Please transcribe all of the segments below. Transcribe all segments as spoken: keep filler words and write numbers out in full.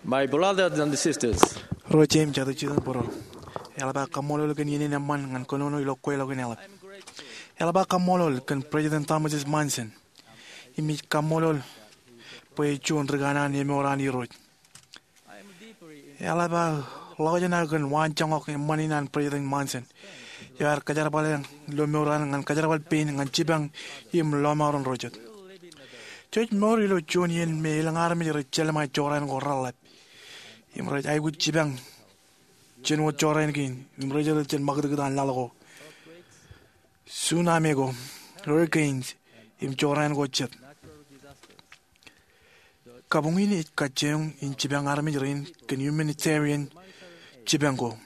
My brothers and sisters, ro jeiū im jatū jitōnbōro, eḷap aō kaṃṃoolol kōn iien in eṃṃan ñan kōnono ilo kweilọk in eḷap. Eḷap aō kaṃṃoolol kōn President Thomas S. Monson, im ij kaṃṃoolol bwe ej juon ri kanaan emour an Irooj. Eḷap aō ḷọkjeṇ aō kōn waanjoñak eṃṃan in an President Monson eo ear kajerbale ilo mour eo an ñan kajerbal pein ñan jipañ im lọmọọren ro jet. Jej mour ilo juon iien me elōñ armej rej jelṃae jorrāān ko reḷḷap im rej aikuj jipañ jān wōt jorrāān kein im rej etal jān ṃakūtkūt an laḷ ko, tsunami ko, hurricanes, im jorrāān ko jet. Kabuñ in ej kajjioñ in jipañ armej rein kōn humanitarian jipañ ko.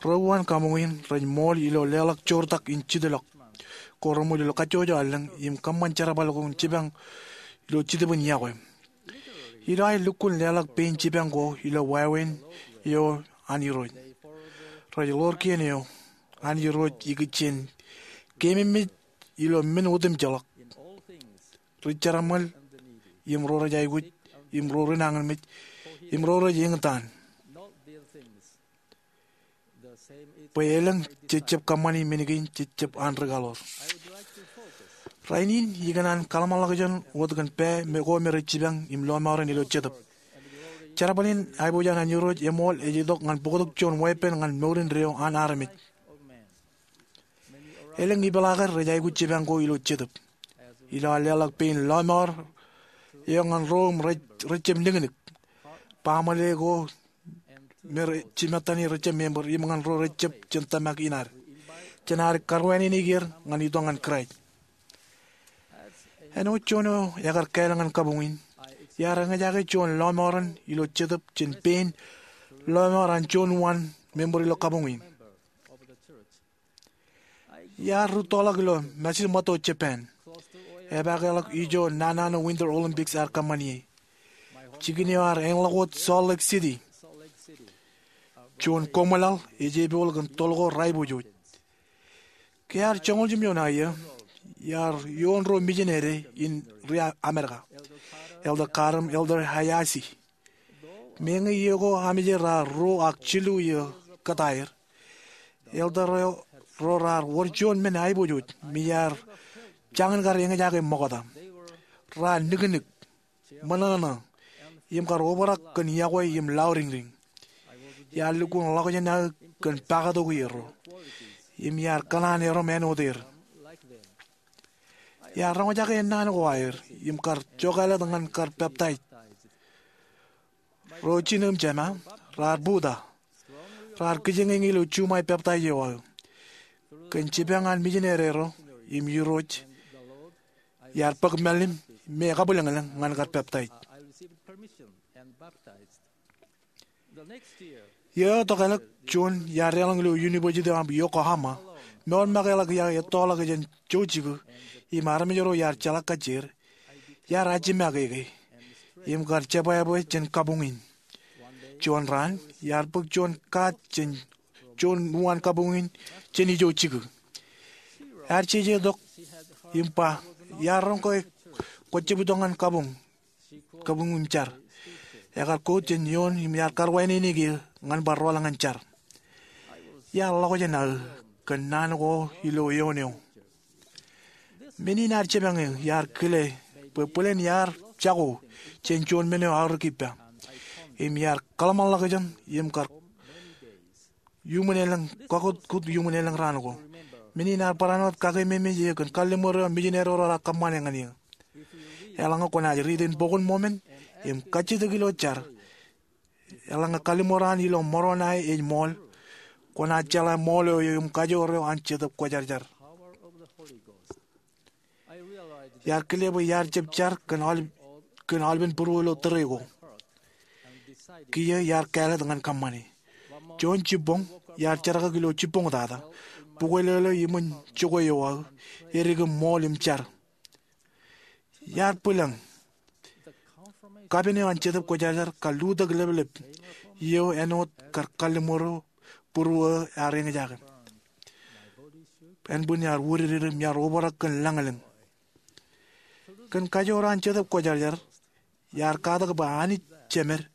Ro uwaan kabuñ in rej ṃool ilo leḷọk joortak in jitḷọk ko reṃool ilo kajjojo allōñ im kōṃṃan jerbal ko in jipañ ilo Jetōb in Iọkwe. Ilo aer lukkuun leḷọk pein jipañ ko ilo wāween eo an Irooj, rej ḷoor kien eo an Irooj ikijjien keememej ilo men otemjeḷọk. Ri jeraṃōl, im ro rej aikuj, im ro ri nañinmej, im ro rej eñtaan. Bwe elōñ jej jab kōṃṃani men kein jej jab an ri kaḷoor. Rainin ikōṇaan kaḷmenḷọkjeṇ wōt kōn pā me ko me rej jipañ im lọmọọren ilo Jetōb. Jerbal in aiboojoj an Irooj eṃool ej itok ñan bōktok juon weeppān ñan mour indeeo an armej. Elōñ ipeḷaakar rej aikuj jipañ ko ilo Jetōb. Ilo aō leḷọk pein lọmọọr eo ñan ro im rej, rej jab niknik, baaṃle ko me rej jimettan rej jab member, im ñan ro rej jab jān tōmak in ad, jān ad karwānānāik er ñan itok ñan Kraist. Āinwōt juon eo ekar kāāl ñan kabuñ in, iar eñjake juon lọmọọren ilo Jetōb jān pein lọmọọr an juon uwaan member ilo kabuñ in. Iar rūttoḷọk ilo Matsumoto, Japan, epaakḷọk ijo naan naan eo Winter Olympics ear kōṃṃani ie. Jikin eo ear eñḷọk wōt Salt Lake City. Juon koṃwōlaḷ ej epool kōn toḷ ko rej aiboojoj. Ke ear joñoul jimjuon aō iiō, iar ioon ruo mijinede in ri Amerika, Elder Carr im Elder Hayashi. Meñe iiō ko amije raar ruo ak jilu iiō kōtaer, elder ro raar wōr juon men aiboojoj me iar jañin kar eñjake ṃokta. Raar niknik, ṃōṇōṇō, im kar obrak kōn iọkwe im lauriñriñ. Iar lukkuun ḷọkjeṇ aō kōn pakatok erro, im iar kōṇaan erom āinwōt er. Iar roñjake ennaan ko aer im kar jokālet ñan kar peptaij. Ro jino im jema raar buta. Raar kijeñeñe ilo juṃae peptaij eo aō. Kōn jipañ an mijinede ro im Irooj, iar bōk mālim me kabwilōñlōñ ñan kar peptaij. Iiō eo tokālik, juon iar deḷọñ ilo University of Yokohama, mour make ḷọk iar ettoḷọk jān jouj jikū, im armej ro iar jeḷā kajjier, iar ajimake ke im kar jebwābwe jān kabuñ in. Juon raan, iar bōk juon kaat jān juon uwaan kabuñ in jān ijo jikū. Ear jeje tok im ba iar roñ ke kwō jab itok ñan kabuñ kabuñ im jar. Ekar quote jān eoon im iar karwānānāik eō ñan bar rọọl ñan jar. Iar ḷọkjeṇ aō kōn naan ko ilo eoon eo. Men in ear jipañ eō iar kile bwe bwilen iar jako jān juon men eo aorōk ippa. Im iar kōḷmānḷọkjeṇ im kar iuṃwin elōñ, kakutkut iuṃwin elōñ raan ko. Men in ear barāinwōt kakememej eō kōn kalliṃur eo mijinede ro raar kōṃṃane ñan eō. Eḷaññe kwōnaaj riit in bok in Mōmon im kajjitōk ilo jar, eḷaññe kalliṃur an ilo Moronai ej ṃool, kwōnaaj jeḷā ṃool eo im kajoor eo an Jetōb Kwōjarjar. Iar kile bwe iar jab jar kōn aolepān būruō ilo tōre ko. Kiiō iar kāālōt ñan kōṃṃane. Juon jibboñ, iar jerkakik ilo jibboñ tata, bukwelōlō iṃōn jokwe eo aō, edik im ṃool im jar. Iar bwilōñ. Kapen eo an Jetōb Kwōjarjar kar lutōk leplep iiō āinwōt kar kalliṃur eo būruō eo ear eñjake. Ānbwin iar wūdikdik im iar obrak kōn lañlōñ. Kōn kajoor an Jetōb Kwōjarjar, iar katak bwe Anij Jemed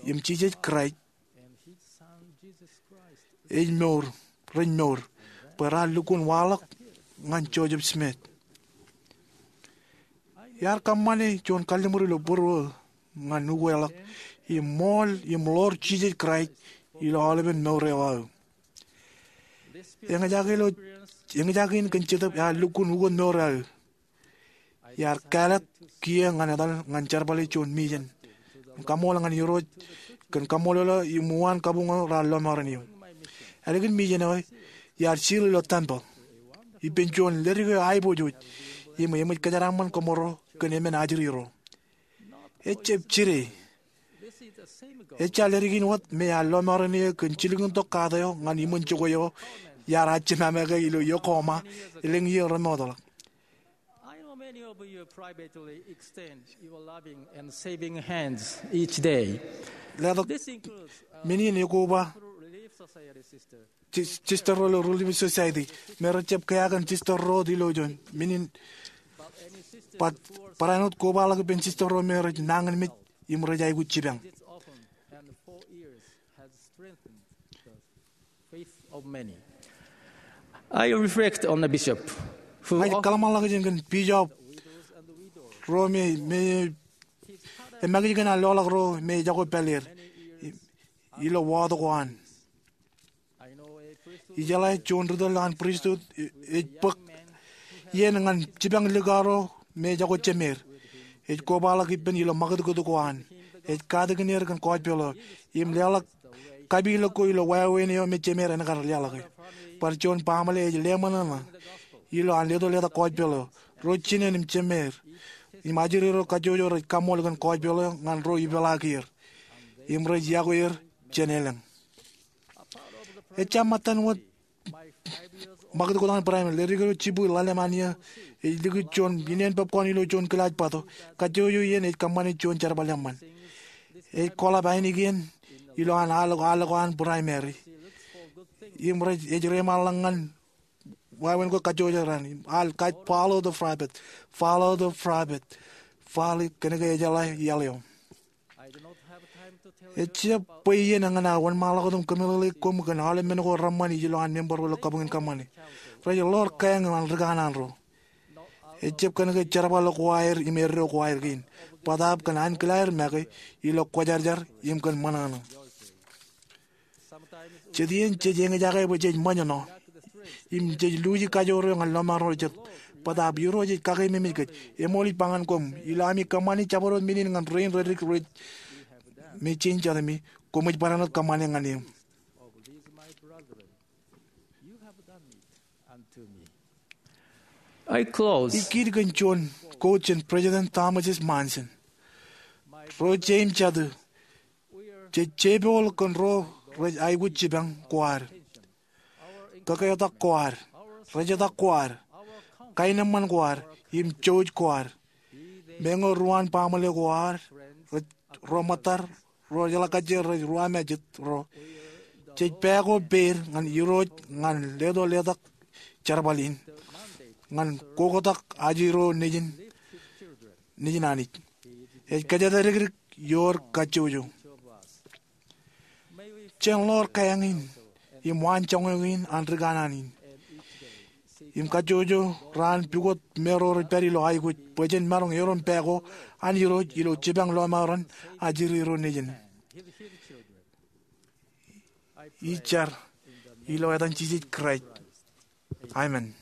im Jisōs Kraist ej mour, rej mour, bwe raar lukkuun waḷọk ñan Joseph Smith. Iar kōṃṃane juon kalliṃur ilo būruō ñan ukeḷọk im ṃool im ḷoor Jisōs Kraist ilo aolepen mour eo aō. Eñjake ilo, eñjake in kōn Jetōb ear lukkuun ukōt mour aō. Iar kāālōt kiiō ñan etal ñan jerbale juon mijen im kaṃṃoolol ñan Irooj kōn kaṃṃoolol eo im uwaan kabuñ eo raar lọmọọren eō. Ālikin mijen eo, iar seal ilo tempeḷ ippān juon leddik eo aiboojoj im eṃōj kōjeraaṃṃan kōṃro kōn emān ajri ro. Ejjab jide. Ejja leddik in wōt me ear lọmọọren eō kōn jilkintok kaat eo ñan iṃōn jokwe eo iar jemāmāke ilo Yokohama elōñ iiō remootḷọk. I know many of you privately extend your loving and saving hands each day. Letok, this includes, uh, men in ekoba through Relief Society sister. Sis-, sister ro ilo Relief Society me rejjab kea kōn sister ro wōt ilo ijo. Men in, but barāinwōt kobaḷọk ippān sister ro me rej nañinmej im rej aikuj jipañ. This often and for years has strengthened the faith of many. I reflect on the bishop who Ña ij kōḷmānḷọkjeṇ kōn bishop ro me, me, e, makij kōn an loḷọk ro me ejako pāleer ilo wāween ko an. Ijeḷā juon ri tōl an pristut ej bōk iien ñan jipañ likao ro me ejako jemeer. Ej kobaḷọk ippān ilo ṃakūtkūt ko an. Ej katakin er kōn gospel eo im leḷọk kapilōk ko ilo wāween eo me jemeer en kar leḷọke. Bar juon baaṃle ej leṃōṇōṇō ilo an leto letak gospel eo. Ro jinen im jemeer im ajri ro kajjojo rej kaṃṃool kōn gospel eo ñan ro ipeḷaakier im rej yokwe er jān elōñ. Ejja ṃōttan wōt ṃakūtkūt an primary, leddik eo jibwin ḷalem an iiō ej likūt juon ineen bōb kọọni ilo juon kilaaj bato. Kajjojo iien ej kōṃṃane juon jerbal eṃṃan. Ej koḷap ainikien ilo an al, al ko an primary im rej, ej reiṃaanḷọk ñan wāween ko kajjojo raṇ im al, "Guide, follow the prophet, follow the prophet, follow," kōnke ejeḷā iaḷ eo. Ejjab bwe iien eñṇe aō wōnṃaanḷọk wōt im kōmeḷeḷeik koṃ kōn aolep men ko reṃṃan ilo an member ro ilo kabuñ in kōṃṃane. Rej ḷoor kāāñ eo an ri kanaan ro. Ejjab kōnke jerbal ko aer im eddo ko aer kein, bōtaab kōn ankilaaer make ilo kwōjarjar im kōn ṃōṇōṇō. Jet iien jej eñjake bwe jej ṃōjṇọ im jej luuji kajoor eo ñan lọmọọr ro jet. Bōtaab Irooj ej kakeememej kōj. Eṃool ij ba ñan koṃ, ilo ami kōṃṃani jabdewōt men in ñan rein reddik rej me jein jatemi, koṃij barāinwōt kōṃṃane ñan eō. I close. Ij kiiō kōn juon quote jān President Thomas S. Monson. Ro jeim jatū, jej jepooḷ kōn ro rej aikuj jipañ ko ad. Kōketak ko ad, rejetak ko ad, kaenōṃṃan ko ad, im jouj ko ad. Meñe ruwaan baaṃle ko ad, rej, ro ṃōttad, ro jeḷā kajjien rej ruwamājet ro. Jej pā ko peier ñan Irooj ñan leto letak jerbal in ñan koktak ajri ro nejin, nejin Anij. Ej kōjatdikdik ioer kajjojo. Jen ḷoor kāāñ in im waanjoñak in an ri kanaan in im kajjojo raan pukot me ro rej pād ilo aikuj bwe jen maroñ erom pā ko an Irooj ilo jipañ lọmọọren ajri ro nejin. Ij jar ilo etan Jisōs Kraist. Amen.